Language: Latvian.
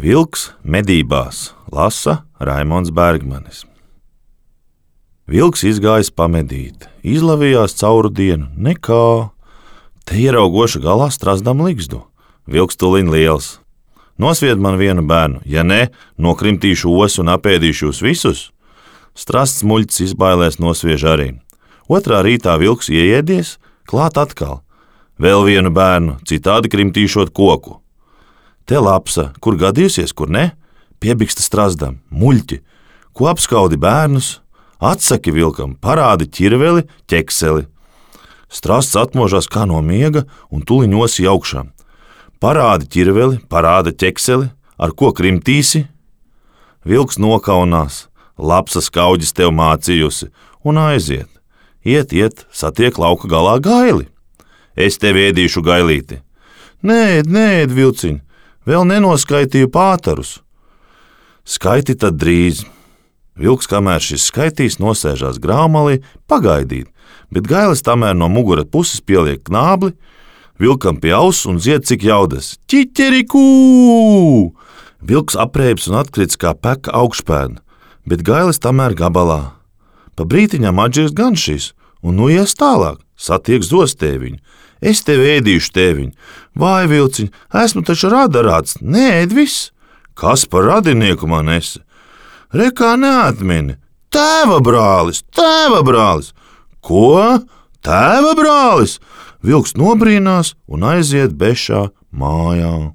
Vilks medībās lasa Raimonds Bergmanis. Vilks izgājis pamedīt, izlavījās cauru dienu, nekā. Te ieraugoša galā strazdam ligzdu. Vilks tuliņ liels. Nosvied man vienu bērnu, ja ne, nokrimtīšu osu un apēdīšu jūs visus. Strasts muļķis izbailēs nosviež arī. Otrā rītā vilks ieēdies, klāt atkal. Vēl vienu bērnu, citādi krimtīšot koku. Te lapsa, kur gadījusies, kur ne, piebiksta strazdam, muļķi, ko apskaudi bērnus, atsaki vilkam, parādi ķirveli, ķekseli. Strasts atmožās kā no miega un tuliņ osi augšā. Parādi ķirveli, parāda ķekseli, ar ko krimtīsi? Vilks nokaunās, lapsa skaudis tev mācījusi un aiziet. Iet, satiek lauka galā gaili. Es tev ēdīšu gailīti. Nē, vilciņ, vēl nenoskaitīju pātarus. Skaiti tad drīz. Vilks, kamēr šis skaitīs, nosēžās grāmalī pagaidīt, bet gailis tamēr no mugura puses pieliek knābli, vilkam pie auss un dzied cik jaudas. Ķiķerikū! Vilks aprēps un atkrits kā peka augšpēdna, bet gailis tamēr gabalā. Pa brītiņām atžirst gan šis, un nu ies tālāk, satiek zostēviņu. Es tev ēdīšu tēviņu. Vai, vilciņ, esmu taču radarāts, neēd viss. Kas par radinieku man esi? Rekā neatmini. Tēva brālis! Ko? Tēva brālis? Vilks nobrīnās un aiziet bešā mājā.